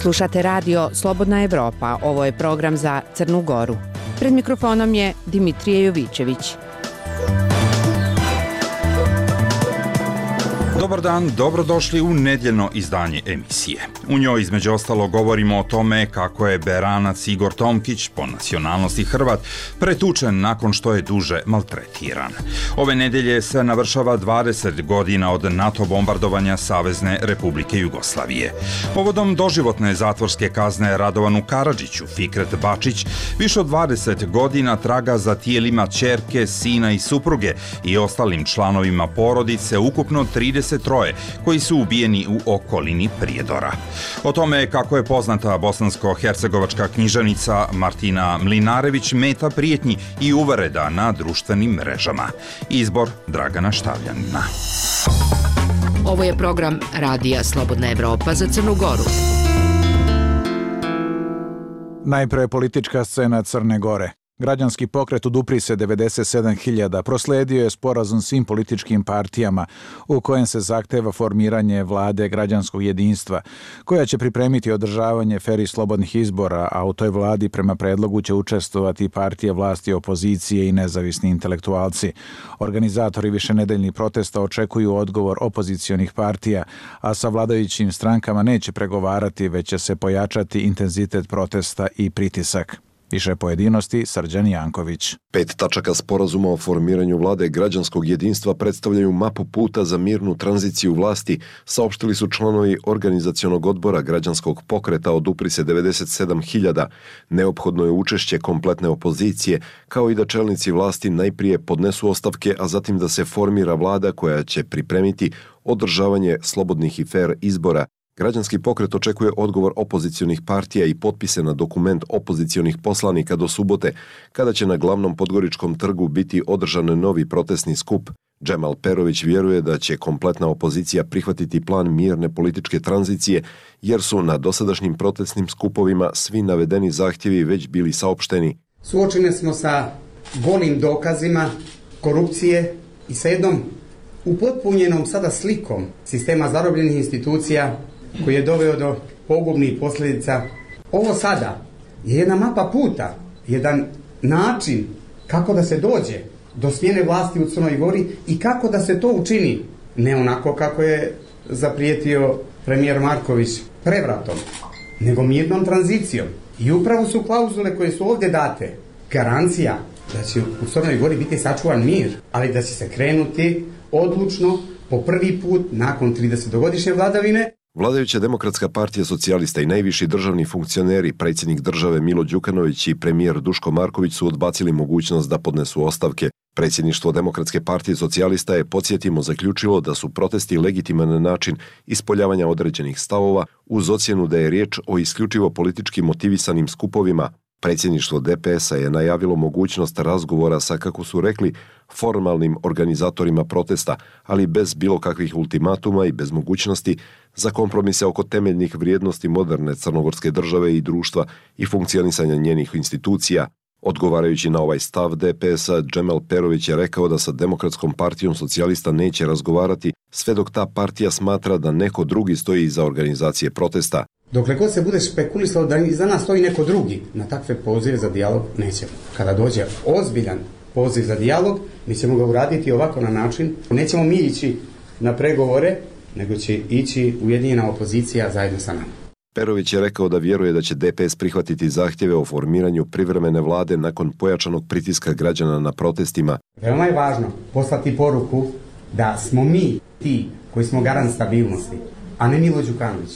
Slušate radio Slobodna Evropa, ovo je program za Crnu Goru. Pred mikrofonom je Dimitrije Jovićević. Dobar dan, dobrodošli u nedjeljno izdanje emisije. U njoj između ostalo govorimo o tome kako je Beranac Igor Tomkić, po nacionalnosti Hrvat, pretučen nakon što je duže maltretiran. Ove nedjelje se navršava 20 godina od NATO bombardovanja Savezne Republike Jugoslavije. Povodom doživotne zatvorske kazne Radovanu Karadžiću, Fikret Bačić više od 20 godina traga za tijelima ćerke, sina i supruge i ostalim članovima porodice, ukupno 33 koji su ubijeni u okolini Prijedora. O tome kako je poznata bosansko-hercegovačka književnica Martina Mlinarević meta prijetnji i uvreda na društvenim mrežama. Izbor Dragana Štavljanina. Ovo je program Radija Slobodna Evropa za Crnu Goru. Najprije politička scena Crne Gore. Građanski pokret Odupri se 97.000 prosledio je sporazum svim političkim partijama u kojem se zahteva formiranje vlade građanskog jedinstva, koja će pripremiti održavanje fer i slobodnih izbora, a u toj vladi prema predlogu će učestvovati partije vlasti, opozicije i nezavisni intelektualci. Organizatori višenedeljnih protesta očekuju odgovor opozicionih partija, a sa vladajućim strankama neće pregovarati, već će se pojačati intenzitet protesta i pritisak. Više pojedinosti, Srđan Janković. 5 tačaka sporazuma o formiranju vlade građanskog jedinstva predstavljaju mapu puta za mirnu tranziciju vlasti, saopštili su članovi organizacionog odbora građanskog pokreta Odupri se 97.000. Neophodno je učešće kompletne opozicije, kao i da čelnici vlasti najprije podnesu ostavke, a zatim da se formira vlada koja će pripremiti održavanje slobodnih i fer izbora. Građanski pokret očekuje odgovor opozicionih partija i potpise na dokument opozicionih poslanika do subote, kada će na glavnom Podgoričkom trgu biti održan novi protestni skup. Džemal Perović vjeruje da će kompletna opozicija prihvatiti plan mirne političke tranzicije, jer su na dosadašnjim protestnim skupovima svi navedeni zahtjevi već bili saopšteni. Suočeni smo sa golim dokazima korupcije i sa jednom upotpunjenom sada slikom sistema zarobljenih institucija koji je doveo do pogubnih posljedica. Ovo sada je jedna mapa puta, jedan način kako da se dođe do smjene vlasti u Crnoj Gori i kako da se to učini, ne onako kako je zaprijetio premijer Marković prevratom, nego mirnom tranzicijom. I upravo su klauzule koje su ovdje date garancija da će u Crnoj Gori biti sačuvan mir, ali da će se krenuti odlučno po prvi put nakon 30-godišnje vladavine. Vladajuća Demokratska partija socijalista i najviši državni funkcioneri, predsjednik države Milo Đukanović i premijer Duško Marković su odbacili mogućnost da podnesu ostavke. Predsjedništvo Demokratske partije socijalista je, podsjetimo, zaključilo da su protesti legitiman način ispoljavanja određenih stavova uz ocjenu da je riječ o isključivo politički motivisanim skupovima. Predsjedništvo DPS-a je najavilo mogućnost razgovora sa, kako su rekli, formalnim organizatorima protesta, ali bez bilo kakvih ultimatuma i bez mogućnosti za kompromise oko temeljnih vrijednosti moderne crnogorske države i društva i funkcionisanja njenih institucija. Odgovarajući na ovaj stav DPS-a, Džemal Perović je rekao da sa Demokratskom partijom socijalista neće razgovarati sve dok ta partija smatra da neko drugi stoji iza organizacije protesta. Dokle god se bude špekulisalo da iza nas stoji neko drugi, na takve pozive za dijalog nećemo. Kada dođe ozbiljan poziv za dijalog, mi ćemo ga uraditi ovako na način. Nećemo mi ići na pregovore, nego će ići ujedinjena opozicija zajedno sa nama. Perović je rekao da vjeruje da će DPS prihvatiti zahtjeve o formiranju privremene vlade nakon pojačanog pritiska građana na protestima. Veoma je važno poslati poruku da smo mi ti koji smo garant stabilnosti, a ne Milo Đukanović.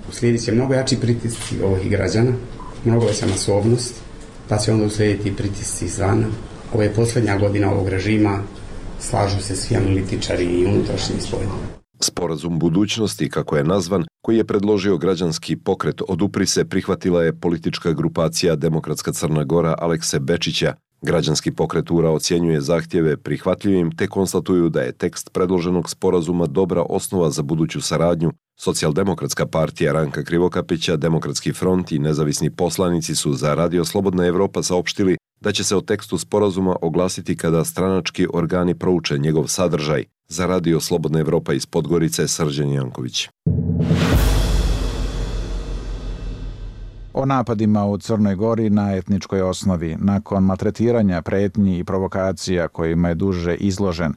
Uslijedit će mnogo jači pritisci ovih građana, mnogo veća masovnost, pa će onda uslijediti pritisci izvana. Ovo je posljednja godina ovog režima, slažu se svi analitičari i unutrašnji i spoljni. Sporazum budućnosti, kako je nazvan, koji je predložio građanski pokret Odupri se, prihvatila je politička grupacija Demokratska Crna Gora Alekse Bečića. Građanski pokret URA ocjenjuje zahtjeve prihvatljivim te konstatuju da je tekst predloženog sporazuma dobra osnova za buduću saradnju. Socijaldemokratska partija Ranka Krivokapića, Demokratski front i nezavisni poslanici su za Radio Slobodna Evropa saopštili da će se o tekstu sporazuma oglasiti kada stranački organi prouče njegov sadržaj. Za Radio Slobodna Evropa iz Podgorice, Srđan Janković. O napadima u Crnoj Gori na etničkoj osnovi, nakon maltretiranja, pretnji i provokacija kojima je duže izložen,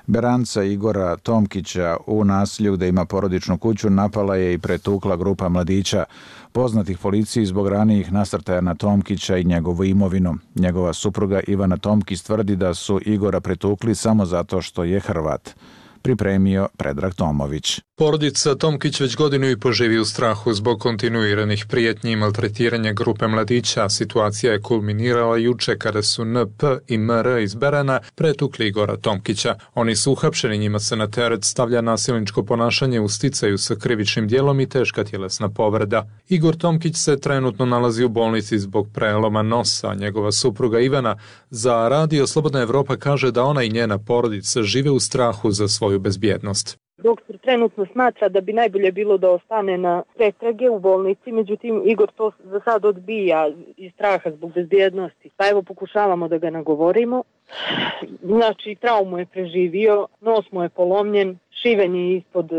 Beranca Igora Tomkića u naselju gde ima porodičnu kuću napala je i pretukla grupa mladića, poznatih policiji zbog ranijih nasrtaja na Tomkića i njegovu imovinu. Njegova supruga Ivana Tomkić tvrdi da su Igora pretukli samo zato što je Hrvat. Pripremio Predrag Tomović. Porodica Tomkić već godinu i po živi u strahu zbog kontinuiranih prijetnji i maltretiranja grupe mladića. Situacija je kulminirala juče kada su NP i MR iz Berana pretukli Igora Tomkića. Oni su uhapšeni, njima se na teret stavlja nasilničko ponašanje u sticaju sa krivičnim djelom i teška tjelesna povreda. Igor Tomkić se trenutno nalazi u bolnici zbog preloma nosa. Njegova supruga Ivana za Radio Slobodna Evropa kaže da ona i njena porodica žive u strahu za svoju bezbjednost. Doktor trenutno smatra da bi najbolje bilo da ostane na pretrage u bolnici, međutim Igor to za sad odbija iz straha zbog bezbjednosti. Pa evo pokušavamo da ga nagovorimo. Znači traumu je preživio, nos mu je polomljen, šiven je ispod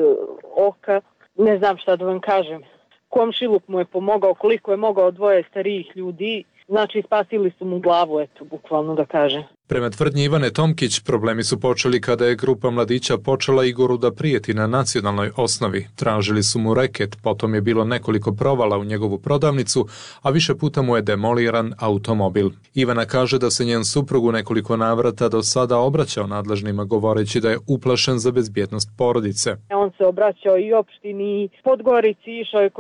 oka, ne znam šta da vam kažem. Komšiluk mu je pomogao koliko je mogao, dvoje starijih ljudi, znači spasili su mu glavu, eto, bukvalno da kažem. Prema tvrdnji Ivane Tomkić, problemi su počeli kada je grupa mladića počela Igoru da prijeti na nacionalnoj osnovi. Tražili su mu reket, potom je bilo nekoliko provala u njegovu prodavnicu, a više puta mu je demoliran automobil. Ivana kaže da se njen suprug u nekoliko navrata do sada obraćao nadležnima govoreći da je uplašen za bezbjednost porodice. On se obraćao i opštini, i Podgorici, išao je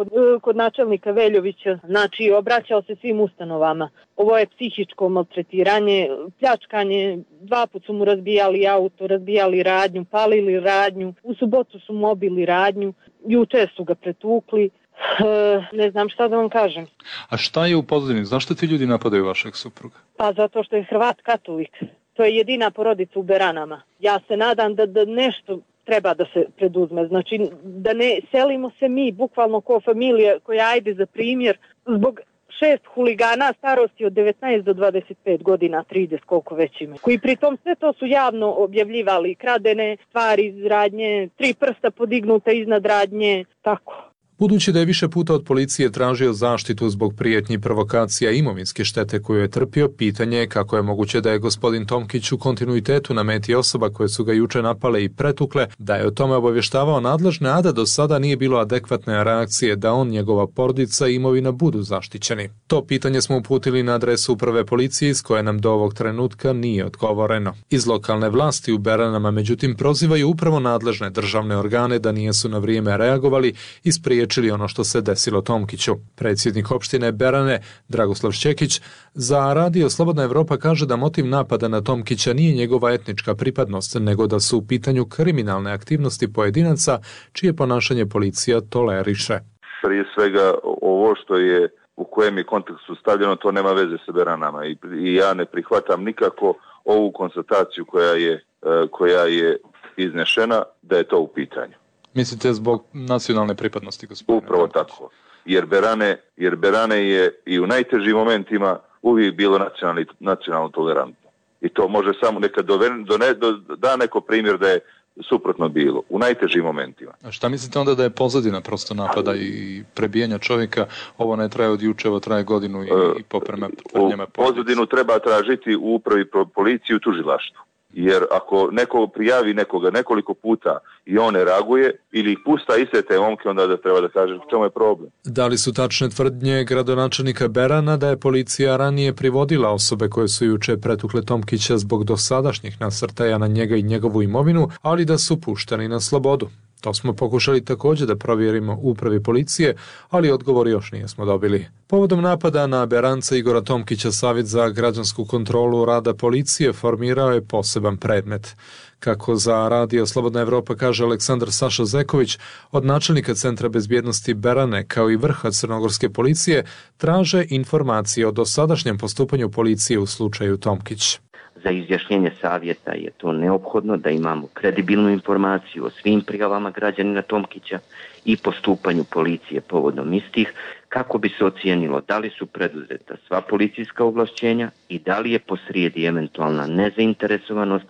kod načelnika Veljovića, znači obraćao se svim ustanovama. Ovo je psihičko maltretiranje, pljačkanje, 2 puta su mu razbijali auto, razbijali radnju, palili radnju, u subotu su mu obili radnju, juče su ga pretukli, ne znam šta da vam kažem. A šta je u pozadini? Zašto ti ljudi napadaju vašeg supruga? Pa zato što je Hrvat katolik. To je jedina porodica u Beranama. Ja se nadam da nešto treba da se preduzme. Znači da ne selimo se mi, bukvalno kao familija koja ajde za primjer, zbog 6 huligana starosti od 19 do 25 godina, 30 koliko već ima, koji pritom sve to su javno objavljivali, kradene stvari iz radnje, 3 prsta podignuta iznad radnje, tako. Budući da je više puta od policije tražio zaštitu zbog prijetnji, provokacija i imovinske štete koju je trpio, pitanje je kako je moguće da je gospodin Tomkić u kontinuitetu na meti osoba koje su ga juče napale i pretukle, da je o tome obavještavao nadležne, a da do sada nije bilo adekvatne reakcije da on, njegova porodica i imovina budu zaštićeni. To pitanje smo uputili na adresu uprave policije iz koje nam do ovog trenutka nije odgovoreno. Iz lokalne vlasti u Beranama međutim prozivaju upravo nadležne državne organe da nisu na vrijeme reagovali i spriječili ono što se desilo Tomkiću. Predsjednik opštine Berane, Dragoslav Šćekić, za Radio Slobodna Evropa kaže da motiv napada na Tomkića nije njegova etnička pripadnost, nego da su u pitanju kriminalne aktivnosti pojedinaca čije ponašanje policija toleriše. Prije svega ovo što je u kojem je kontekstu stavljeno, to nema veze sa Beranama i ja ne prihvatam nikako ovu konstataciju koja je iznešena da je to u pitanju. Mislite zbog nacionalne pripadnosti, gospodine? Upravo tako. Jer Berane je i u najtežim momentima uvijek bilo nacionalno tolerantno. I to može samo nekad da neko primjer da je suprotno bilo, u najtežim momentima. A šta mislite onda da je pozadina prosto napada i prebijanja čovjeka? Ovo ne traje od juče, ovo traje godinu i poprema tvrdnjama. Pozadinu treba tražiti u upravi policiji u tužilaštvu. Jer ako neko prijavi nekoga nekoliko puta i on ne reaguje ili ih pusta iste te momke, onda da treba da kaže čemu je problem. Da li su tačne tvrdnje gradonačelnika Berana da je policija ranije privodila osobe koje su juče pretukle Tomkića zbog dosadašnjih nasrtaja na njega i njegovu imovinu, ali da su pušteni na slobodu? To smo pokušali također da provjerimo u upravi policije, ali odgovor još nismo dobili. Povodom napada na Beranca Igora Tomkića, Savjet za građansku kontrolu rada policije formirao je poseban predmet. Kako za Radio Slobodna Evropa kaže Aleksandar Saša Zeković, od načelnika Centra bezbjednosti Berane kao i vrha crnogorske policije traže informacije o dosadašnjem postupanju policije u slučaju Tomkić. Za izjašnjenje savjeta je to neophodno da imamo kredibilnu informaciju o svim prijavama građanina Tomkića i postupanju policije povodom istih, kako bi se ocijenilo da li su preduzeta sva policijska ovlašćenja i da li je posrijedi eventualna nezainteresovanost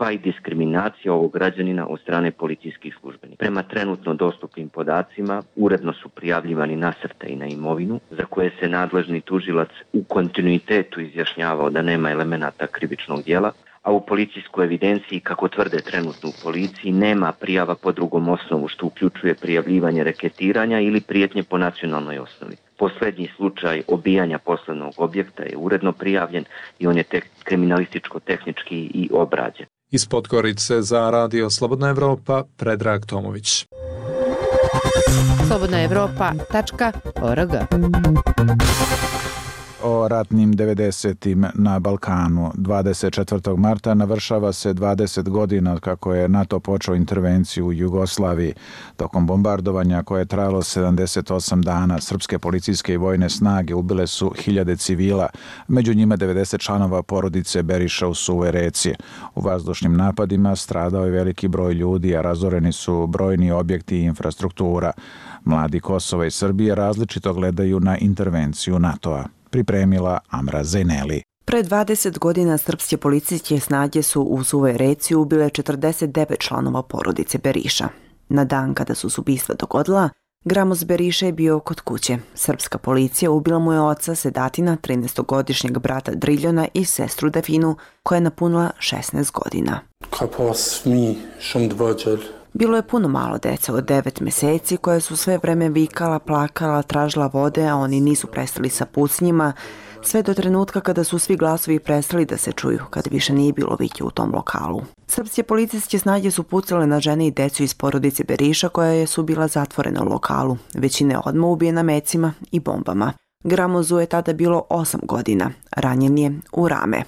pa i diskriminacija ovog građanina od strane policijskih službenika. Prema trenutno dostupnim podacima, uredno su prijavljivani nasrtaji na imovinu, za koje se nadležni tužilac u kontinuitetu izjašnjavao da nema elemenata krivičnog djela, a u policijskoj evidenciji, kako tvrde trenutno u policiji, nema prijava po drugom osnovu, što uključuje prijavljivanje reketiranja ili prijetnje po nacionalnoj osnovi. Posljednji slučaj obijanja poslovnog objekta je uredno prijavljen i on je kriminalističko-tehnički i obrađen. Iz Podgorice za Radio Slobodna Evropa, Predrag Tomović. slobodnaevropa.org. O ratnim 90-im na Balkanu. 24. marta navršava se 20 godina kako je NATO počeo intervenciju u Jugoslaviji. Tokom bombardovanja koje je trajalo 78 dana, srpske policijske i vojne snage ubile su 1000 civila, među njima 90 članova porodice Beriša u Suvoj Reci. U vazdušnim napadima stradao je veliki broj ljudi, a razoreni su brojni objekti i infrastruktura. Mladi Kosova i Srbije različito gledaju na intervenciju NATO-a. Pripremila Amra Zejneli. Pre 20 godina srpske policijske snage su u Suvoj Reci ubile 49 članova porodice Beriša. Na dan kada su se ubistva dogodila, Gramos Beriša je bio kod kuće. Srpska policija ubila mu je oca Sedatina, 13-godišnjeg brata Driljona i sestru Definu, koja je napunila 16 godina. Bilo je puno malo dece od 9 meseci koje su sve vreme vikala, plakala, tražila vode, a oni nisu prestali sa pucnjima, sve do trenutka kada su svi glasovi prestali da se čuju, kada više nije bilo vike u tom lokalu. Srpske policijske snage su pucale na žene i decu iz porodice Beriša koja su bila zatvorena u lokalu. Većina je odmah ubijena mecima i bombama. Gramozu je tada bilo 8 godina, ranjen je u rame.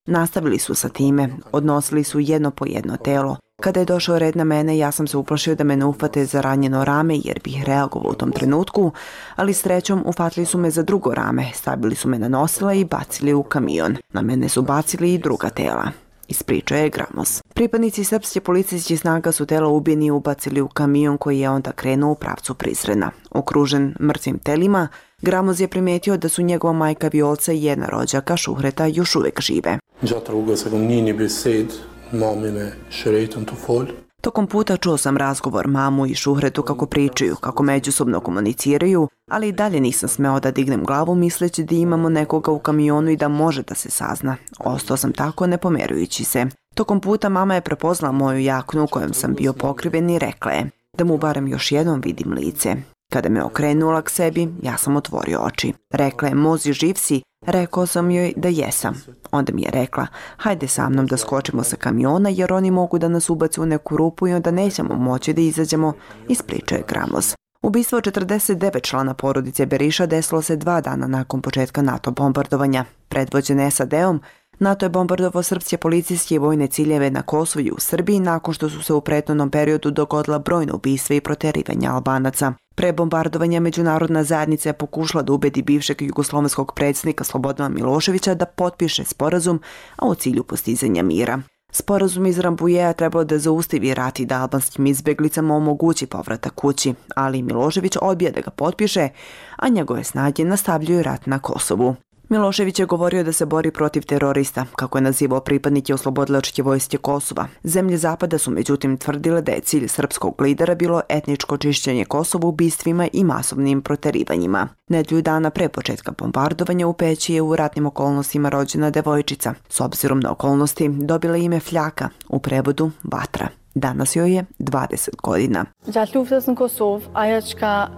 Nastavili su sa time, odnosili su jedno po jedno telo. Kada je došao red na mene, ja sam se uplašio da me ne ufate za ranjeno rame jer bih reagovao u tom trenutku, ali srećom ufatili su me za drugo rame, stavili su me na nosila i bacili u kamion. Na mene su bacili i druga tela. Ispričao je Gramos. Pripadnici srpske policijske snaga su tela ubijeni ubacili u kamion koji je onda krenuo u pravcu Prizrena. Okružen mrtvim telima, Gramos je primetio da su njegova majka Violca i jedna rođaka Šuhreta još uvek žive. Tokom puta čuo sam razgovor mamu i Šuhretu kako pričaju, kako međusobno komuniciraju, ali i dalje nisam smeo da dignem glavu misleći da imamo nekoga u kamionu i da može da se sazna. Ostao sam tako ne pomerujući se. Tokom puta mama je prepoznala moju jaknu u kojom sam bio pokriven i rekla je da mu barem još jednom vidim lice. Kada me okrenula k sebi, ja sam otvorio oči. Rekla je, Mozi, živ si? Rekao sam joj da jesam. Onda mi je rekla, hajde sa mnom da skočimo sa kamiona jer oni mogu da nas ubace u neku rupu i onda nećemo moći da izađemo, ispričao je Gramos. Ubistvo 49 člana porodice Beriša desilo se 2 dana nakon početka NATO bombardovanja. Predvođen SAD-om, NATO je bombardovao srpske policijske i vojne ciljeve na Kosovu i u Srbiji nakon što su se u prethodnom periodu dogodila brojna ubistva i proterivanja Albanaca. Pre bombardovanja međunarodna zajednica je pokušala da ubedi bivšeg jugoslovenskog predsjednika Slobodana Miloševića da potpiše sporazum, a u cilju postizanja mira. Sporazum iz Rambouilleta trebalo da zaustavi rat i da albanskim izbjeglicama omogući povratak kući, ali Milošević odbija da ga potpiše, a njegove snage nastavljaju rat na Kosovu. Milošević je govorio da se bori protiv terorista, kako je nazivao pripadnike oslobodilačke vojske Kosova. Zemlje Zapada su međutim tvrdile da je cilj srpskog lidera bilo etničko čišćenje Kosova ubistvima i masovnim proterivanjima. Nedelju dana pre početka bombardovanja u Peći je u ratnim okolnostima rođena devojčica. S obzirom na okolnosti dobila ime Fljaka, u prevodu Vatra. Danas joj je 20 godina.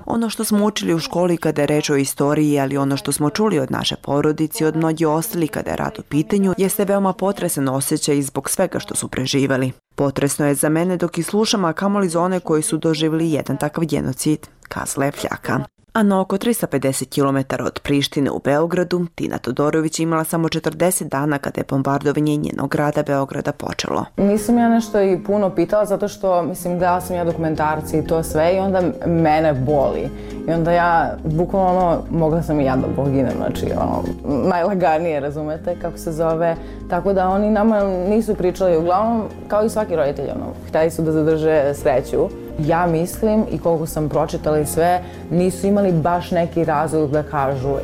Ono što smo učili u školi kada je reč o istoriji, ali ono što smo čuli od naše porodice i od mnogih ostali kada je rat u pitanju, jeste veoma potresan osjećaj zbog svega što su preživali. Potresno je za mene dok i slušam, a kamoli za one koji su doživjeli jedan takav genocid, kazala je Fljaka. A na oko 350 km od Prištine u Beogradu, Tina Todorović imala samo 40 dana kada je bombardovanje njenog grada Beograda počelo. Nisam ja nešto i puno pitala zato što, gledala sam ja dokumentarci i to sve i onda mene boli. I onda ja, bukvalno, mogla sam i ja da poginem, znači, najlaganije, razumete, kako se zove. Tako da oni nama nisu pričali, uglavnom, kao i svaki roditelj, htjeli su da zadrže sreću. Ja mislim i koliko sam pročitala i sve, nisu imali baš neki razlog da kažu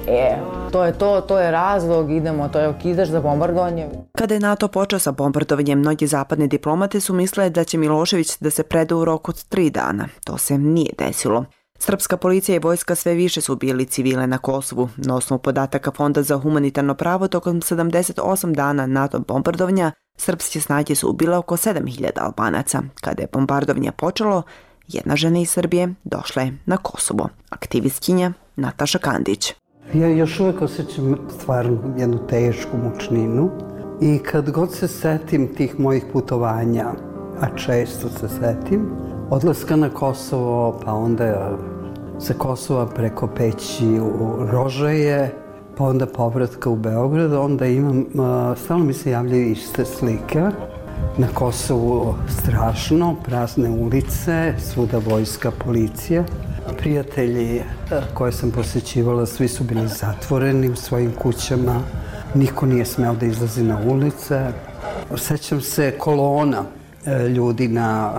to je razlog, idemo, to je okidač za bombardovanje. Kada je NATO počeo sa bombardovanjem, mnogi zapadne diplomate su mislile da će Milošević da se preda u roku od 3 dana. To se nije desilo. Srpska policija i vojska sve više su ubijali civile na Kosovu. Na osnovu podataka Fonda za humanitarno pravo, tokom 78 dana NATO bombardovanja, srpske snage su ubile oko 7000 Albanaca. Kada je bombardovanje počelo, jedna žena iz Srbije došla je na Kosovo. Aktivistkinja Nataša Kandić. Ja još uvijek osjećam stvarno jednu tešku mučninu i kad god se setim tih mojih putovanja, a često se setim, odlaska na Kosovo, pa onda sa Kosova preko Peći u Rožaje, pa onda povratka u Beograd, onda imam, stalno mi se javljaju iste slike. Na Kosovu strašno, prazne ulice, svuda vojska, policija. Prijatelji koje sam posjećivala, svi su bili zatvoreni u svojim kućama, niko nije smeo da izlazi na ulice. Sećam se kolona ljudi na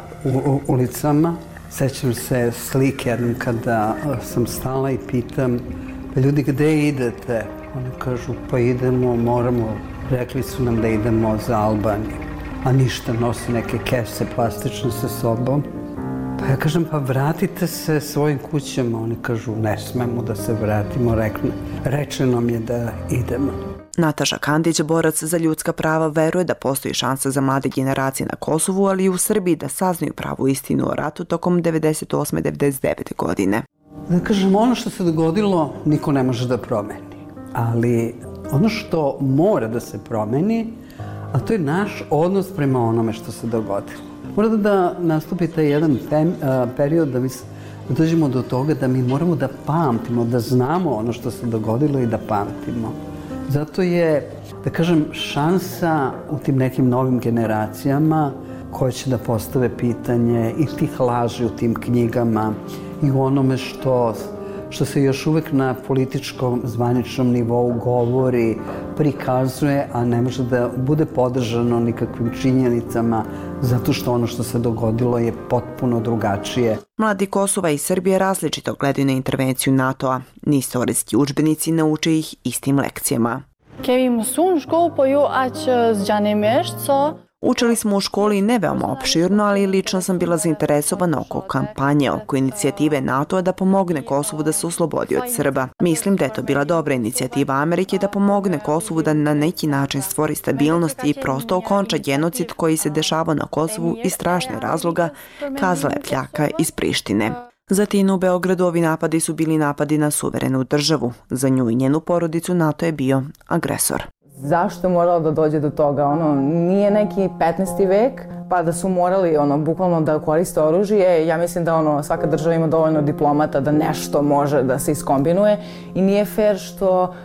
ulicama, sećam se slike jednom kada sam stala i pitam, pa ljudi, gde idete? Oni kažu, pa idemo, moramo, rekli su nam da idemo za Albaniju, a ništa, nosi neke kese plastične sa sobom. Pa ja kažem, pa vratite se svojim kućama. Oni kažu, ne smemo da se vratimo, rečeno nam je da idemo. Nataša Kandić, borac za ljudska prava, veruje da postoji šansa za mlade generacije na Kosovu, ali i u Srbiji da saznaju pravu istinu o ratu tokom 98. 99. godine. Da kažem, ono što se dogodilo niko ne može da promeni, ali ono što mora da se promeni, a to je naš odnos prema onome što se dogodilo. Mora da nastupi taj jedan period da dođemo do toga da mi moramo da pamtimo, da znamo ono što se dogodilo i da pamtimo. Zato je, da kažem, šansa u tim nekim novim generacijama koje će da postave pitanje i tih laži u tim knjigama i u onome što se još uvek na političkom zvaničnom nivou govori, prikazuje, a ne može da bude podržano nikakvim činjenicama, zato što ono što se dogodilo je potpuno drugačije. Mladi Kosova i Srbije različito gledaju na intervenciju NATO-a. Istorijski udžbenici nauče ih istim lekcijama. Učili smo u školi ne veoma opširno, ali lično sam bila zainteresovana oko kampanje, oko inicijative NATO-a da pomogne Kosovu da se oslobodi od Srba. Mislim da je to bila dobra inicijativa Amerike da pomogne Kosovu da na neki način stvori stabilnost i prosto okonča genocid koji se dešavao na Kosovu iz strašnih razloga, kazala je Fljaka iz Prištine. Za Tinu u Beogradu ovi napadi su bili napadi na suverenu državu. Za nju i njenu porodicu NATO je bio agresor. Zašto je moralo da dođe do toga? Nije neki 15. vek, pa da su morali bukvalno da koriste oružje. Ja mislim da svaka država ima dovoljno diplomata da nešto može da se iskombinuje i nije fair što,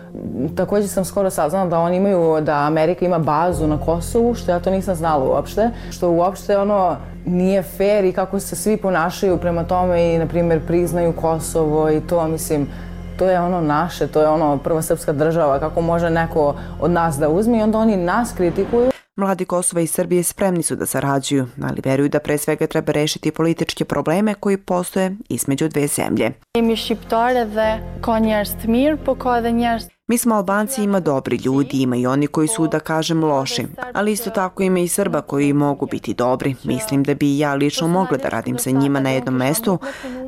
također sam skoro saznala da Amerika ima bazu na Kosovu, što ja to nisam znala uopšte, što uopšte nije fair i kako se svi ponašaju prema tome i, na primjer, priznaju Kosovo i to, mislim, to je naše, to je prva srpska država, kako može neko od nas da uzme i onda oni nas kritikuju. Mladi Kosova i Srbije spremni su da sarađuju, ali veruju da pre svega treba rešiti političke probleme koji postoje između dve zemlje. Mi smo Albanci, ima dobri ljudi, ima i oni koji su, da kažem, loši, ali isto tako ima i Srba koji mogu biti dobri. Mislim da bi i ja lično mogla da radim sa njima na jednom mestu,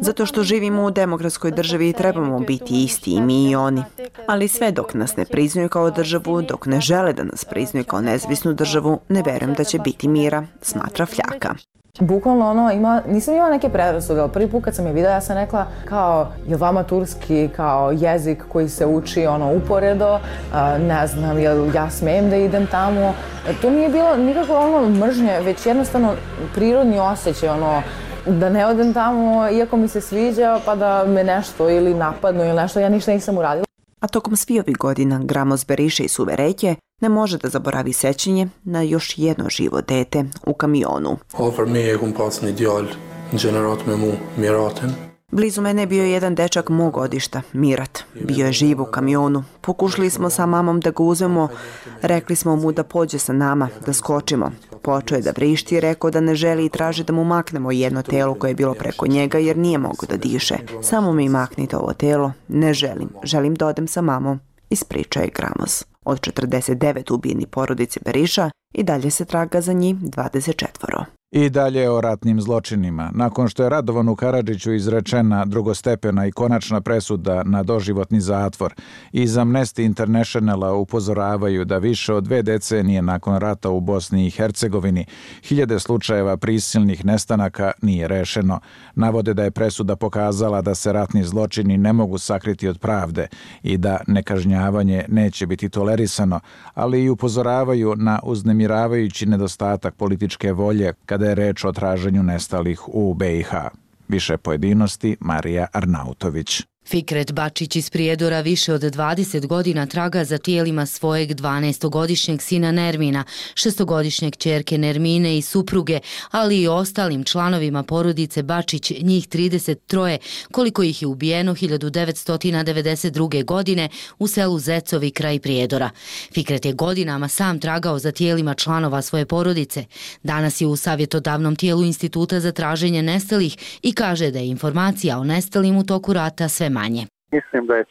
zato što živimo u demokratskoj državi i trebamo biti isti i mi i oni. Ali sve dok nas ne priznaju kao državu, dok ne žele da nas priznaju kao nezavisnu državu, ne verujem da će biti mira, smatra Fljaka. Bukvalno nisam imala neke predrasude, ali prvi put kad sam je videla, ja sam rekla kao, je vama turski kao jezik koji se uči uporedo, ne znam, jel ja smijem da idem tamo. To nije bilo nikako mržnje, već jednostavno prirodni osjećaj, da ne odem tamo, iako mi se sviđa, pa da me nešto ili napadnu ili nešto, ja ništa nisam uradila. A tokom svih ovih godina Gramos Beriše iz Suve Reke ne može da zaboravi sećanje na još jedno živo dete u kamionu. Blizu mene je bio jedan dečak mog godišta, Mirat. Bio je živ u kamionu. Pokušali smo sa mamom da ga uzmemo, rekli smo mu da pođe sa nama, da skočimo. Počeo je da vrišti i rekao da ne želi i traži da mu maknemo jedno telo koje je bilo preko njega jer nije mogao da diše. Samo mi maknite ovo telo. Ne želim. Želim da odem sa mamom. Ispričao je Gramos. Od 49 ubijenih porodice Beriša i dalje se traga za njih 24. I dalje o ratnim zločinima. Nakon što je Radovanu Karadžiću izrečena drugostepena i konačna presuda na doživotni zatvor, iz Amnesty Internationala upozoravaju da više od 2 decenije nakon rata u Bosni i Hercegovini 1000 slučajeva prisilnih nestanaka nije rešeno. Navode da je presuda pokazala da se ratni zločini ne mogu sakriti od pravde i da nekažnjavanje neće biti tolerisano, ali i upozoravaju na uznemiravajući nedostatak političke volje kada je reč o traženju nestalih u BiH. Više pojedinosti Marija Arnautović. Fikret Bačić iz Prijedora više od 20 godina traga za tijelima svojeg 12-godišnjeg sina Nermina, 6-godišnjeg ćerke Nermine i supruge, ali i ostalim članovima porodice Bačić, njih 33, koliko ih je ubijeno 1992. godine u selu Zecovi kraj Prijedora. Fikret je godinama sam tragao za tijelima članova svoje porodice. Danas je u savjetodavnom tijelu Instituta za traženje nestalih i kaže da je informacija o nestalim u toku rata sve manje. Mislim da je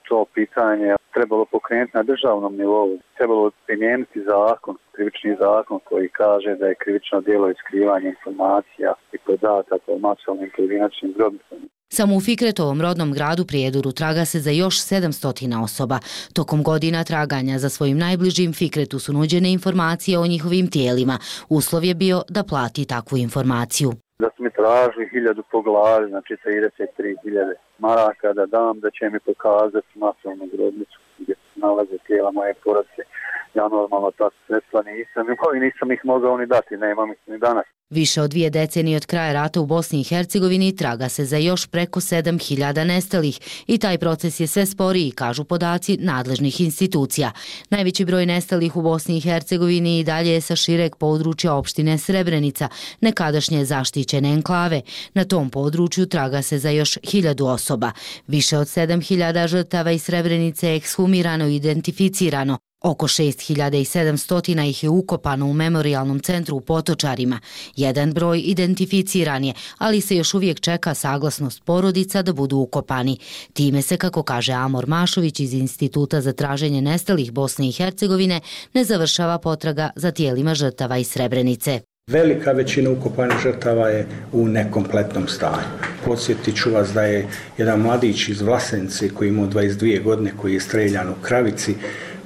to pitanje trebalo pokrenuti na državnom nivou. Trebalo primijeniti zakon, krivični zakon koji kaže da je krivično djelo iskrivanje informacija i podataka o masovnim pojedinačnim grobnicama. Samo u Fikretovom rodnom gradu Prijedoru traga se za još 700 osoba. Tokom godina traganja za svojim najbližim Fikretu su nuđene informacije o njihovim tijelima. Uslov je bio da plati takvu informaciju. Da su mi tražili 1000 po glavi, znači 33.000 maraka da dam, da će mi pokazati masovnu grobnicu gdje se nalaze tijela moje porodice. Ja normalno ta sredstva nisam imao i nisam ih mogao ni dati, nemam ih ni danas. Više od 2 decenije od kraja rata u Bosni i Hercegovini traga se za još preko 7000 nestalih i taj proces je sve sporiji, kažu podaci nadležnih institucija. Najveći broj nestalih u Bosni i Hercegovini i dalje je sa šireg područja opštine Srebrenica, nekadašnje zaštićene enklave. Na tom području traga se za još 1000 osoba. Više od 7000 žrtava iz Srebrenice je ekshumirano i identificirano. Oko 6700 ih je ukopano u memorijalnom centru u Potočarima. Jedan broj identificiran je, ali se još uvijek čeka saglasnost porodica da budu ukopani. Time se, kako kaže Amor Mašović iz Instituta za traženje nestalih Bosne i Hercegovine, ne završava potraga za tijelima žrtava iz Srebrenice. Velika većina ukopanih žrtava je u nekompletnom stanju. Podsjetit ću vas da je jedan mladić iz Vlasenice koji imao 22 godine, koji je streljan u Kravici,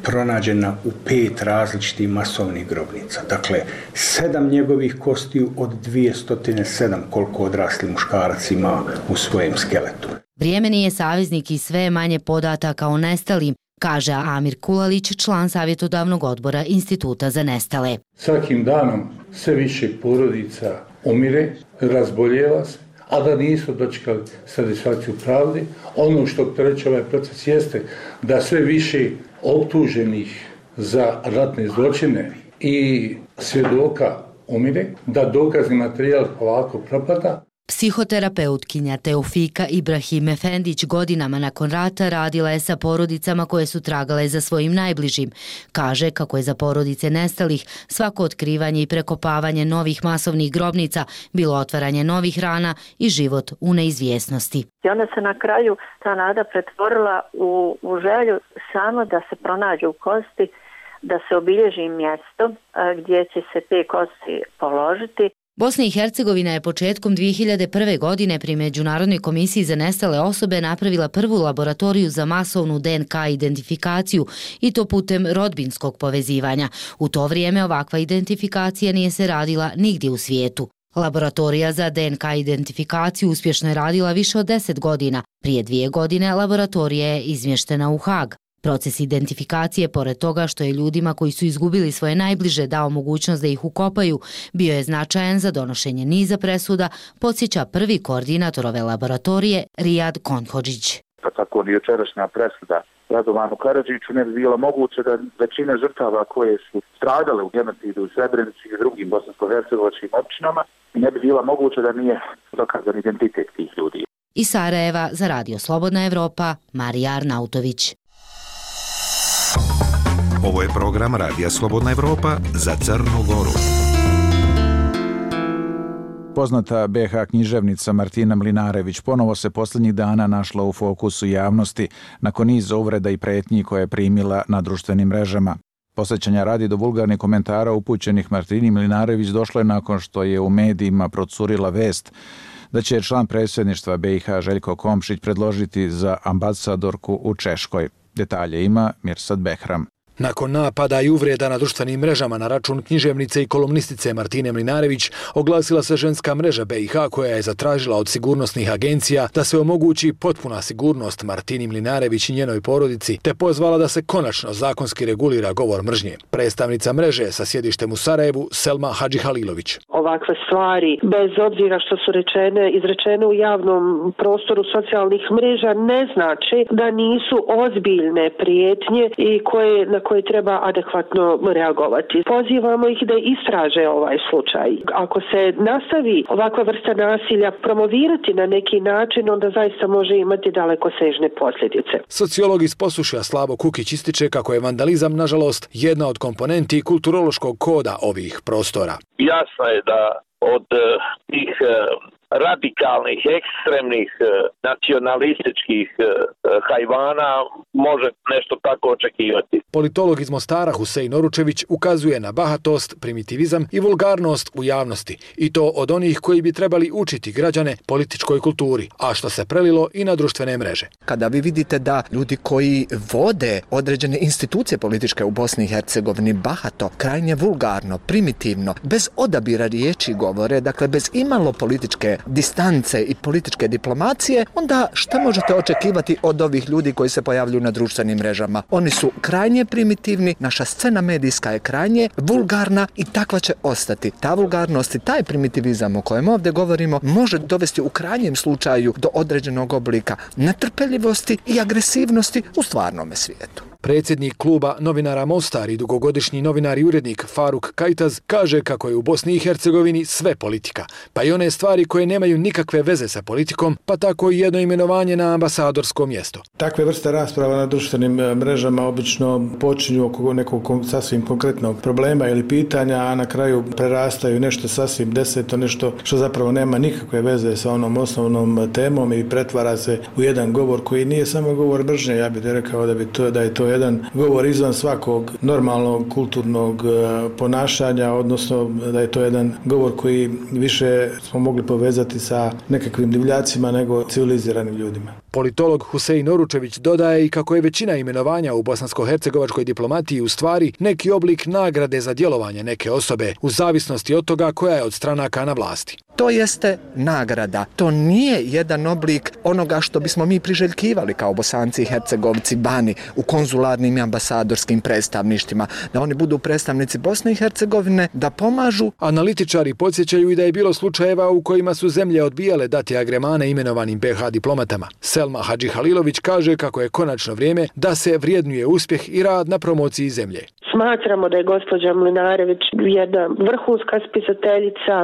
pronađena u 5 različitih masovnih grobnica. Dakle, 7 njegovih kostiju od 207 koliko odrasli muškarac ima u svojem skeletu. Vrijeme nije saveznik i sve manje podataka o nestalim, kaže Amir Kulalić, član savjetodavnog odbora Instituta za nestale. Svakim danom sve više porodica umire, razboljeva se, a da nisu dočekali satisfakciju pravde. Ono što opterećuje ovaj proces jeste da sve više optuženih za ratne zločine i svjedoka umire, da dokazni materijal polako propada. Psihoterapeutkinja Teofika Ibrahim Efendić godinama nakon rata radila je sa porodicama koje su tragale za svojim najbližim. Kaže kako je za porodice nestalih svako otkrivanje i prekopavanje novih masovnih grobnica bilo otvaranje novih rana i život u neizvjesnosti. I onda se na kraju ta nada pretvorila u želju samo da se pronađu kosti, da se obilježi mjesto gdje će se te kosti položiti. Bosna i Hercegovina je početkom 2001. godine pri Međunarodnoj komisiji za nestale osobe napravila prvu laboratoriju za masovnu DNK identifikaciju i to putem rodbinskog povezivanja. U to vrijeme ovakva identifikacija nije se radila nigdje u svijetu. Laboratorija za DNK identifikaciju uspješno je radila više od 10 godina. Prije 2 godine laboratorija je izmještena u Hag. Proces identifikacije, pored toga što je ljudima koji su izgubili svoje najbliže dao mogućnost da ih ukopaju, bio je značajan za donošenje niza presuda, podsjeća prvi koordinator ove laboratorije, Rijad Konhodžić. Pa tako ni jučerašnja presuda Radovanu Karadžiću ne bi bilo moguće da većina žrtava koje su stradale u genocidu u Srebrenici i drugim bosansko-hercegovačkim općinama ne bi bila moguće da nije dokazan identitet tih ljudi. Iz Sarajeva za Radio Slobodna Evropa, Marija Arnautović. Ovo je program Radija Slobodna Evropa za Crnu Goru. Poznata BH književnica Martina Mlinarević ponovo se posljednjih dana našla u fokusu javnosti nakon niza uvreda i pretnji koje je primila na društvenim mrežama. Posjećanja radi do vulgarnih komentara upućenih Martini Mlinarević došlo je nakon što je u medijima procurila vest da će član predsjedništva BiH Željko Komšić predložiti za ambasadorku u Češkoj. Detalje ima Mirsad Behram. Nakon napada i uvreda na društvenim mrežama na račun književnice i kolumnistice Martine Mlinarević, oglasila se ženska mreža BiH koja je zatražila od sigurnosnih agencija da se omogući potpuna sigurnost Martini Mlinarević i njenoj porodici, te pozvala da se konačno zakonski regulira govor mržnje. Predstavnica mreže sa sjedištem u Sarajevu, Selma Hadžihalilović. Ovakve stvari, bez obzira što su izrečene u javnom prostoru socijalnih mreža, ne znači da nisu ozbiljne prijetnje i na koje treba adekvatno reagovati. Pozivamo ih da istraže ovaj slučaj. Ako se nastavi ovakva vrsta nasilja promovirati na neki način, onda zaista može imati dalekosežne posljedice. Sociolog iz Posušja Slavo Kukić ističe kako je vandalizam, nažalost, jedna od komponenti kulturološkog koda ovih prostora. Jasno je da od tih radikalnih, ekstremnih, nacionalističkih hajvana može nešto tako očekivati. Politolog iz Mostara Husein Oručević ukazuje na bahatost, primitivizam i vulgarnost u javnosti, i to od onih koji bi trebali učiti građane političkoj kulturi, a što se prelilo i na društvene mreže. Kada vi vidite da ljudi koji vode određene institucije političke u Bosni i Hercegovini bahato, krajnje vulgarno, primitivno, bez odabira riječi govore, dakle bez imalo političke distance i političke diplomacije, onda šta možete očekivati od ovih ljudi koji se pojavljuju na društvenim mrežama? Oni su krajnje primitivni, naša scena medijska je krajnje vulgarna i takva će ostati. Ta vulgarnost i taj primitivizam o kojem ovdje govorimo može dovesti u krajnjem slučaju do određenog oblika netrpeljivosti i agresivnosti u stvarnome svijetu. Predsjednik kluba novinara Mostar i dugogodišnji novinar i urednik Faruk Kajtaz kaže kako je u Bosni i Hercegovini sve politika, pa i one stvari koje nemaju nikakve veze sa politikom, pa tako i jedno imenovanje na ambasadorsko mjesto. Takve vrste rasprava na društvenim mrežama obično počinju oko nekog sasvim konkretnog problema ili pitanja, a na kraju prerastaju nešto sasvim deseto, nešto što zapravo nema nikakve veze sa onom osnovnom temom i pretvara se u jedan govor koji nije samo govor mržnje. Ja bih rekao da je to jedan govor izvan svakog normalnog kulturnog ponašanja, odnosno da je to jedan govor koji više smo mogli povezati sa nekakvim divljacima nego civiliziranim ljudima. Politolog Husein Oručević dodaje i kako je većina imenovanja u bosansko-hercegovačkoj diplomatiji u stvari neki oblik nagrade za djelovanje neke osobe, u zavisnosti od toga koja je od stranaka na vlasti. To jeste nagrada. To nije jedan oblik onoga što bismo mi priželjkivali kao Bosanci i Hercegovci vani u konzularnim i ambasadorskim predstavništvima, da oni budu predstavnici Bosne i Hercegovine, da pomažu. Analitičari podsjećaju i da je bilo slučajeva u kojima su zemlje odbijale dati agremane imenovanim BiH diplomatama. Selma Hadžihalilović kaže kako je konačno vrijeme da se vrijednuje uspjeh i rad na promociji zemlje. Smatramo da je gospođa Mlinarević jedna vrhunska spisateljica,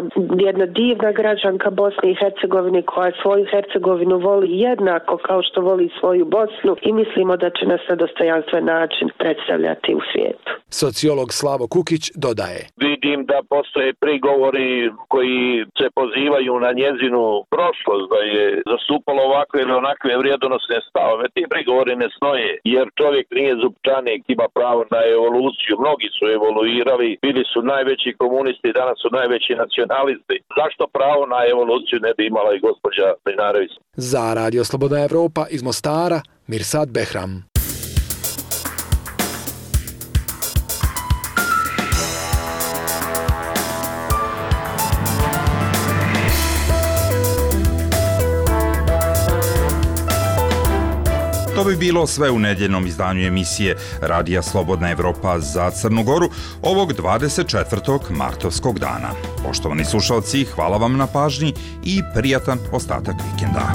jedna divna građanka Bosne i Hercegovine koja svoju Hercegovinu voli jednako kao što voli svoju Bosnu i mislimo da će nas na dostojanstven način predstavljati u svijetu. Sociolog Slavo Kukić dodaje. Vidim da postoje prigovori koji se pozivaju na njezinu prošlost, da je zastupalo ovakve ili onakve vrijedonosne stavove. Ti prigovori ne stoje, jer čovjek nije zupčanik, ima pravo na evoluciju. Mnogi su evoluirali, bili su najveći komunisti, danas su najveći nacionalisti. Zašto pravo na evoluciju ne bi imala i gospođa Mlinarević? Za Radio Slobodna Evropa iz Mostara, Mirsad Behram. To bi bilo sve u nedjeljnom izdanju emisije Radija Slobodna Evropa za Crnu Goru ovog 24. martovskog dana. Poštovani slušalci, hvala vam na pažnji i prijatan ostatak vikenda.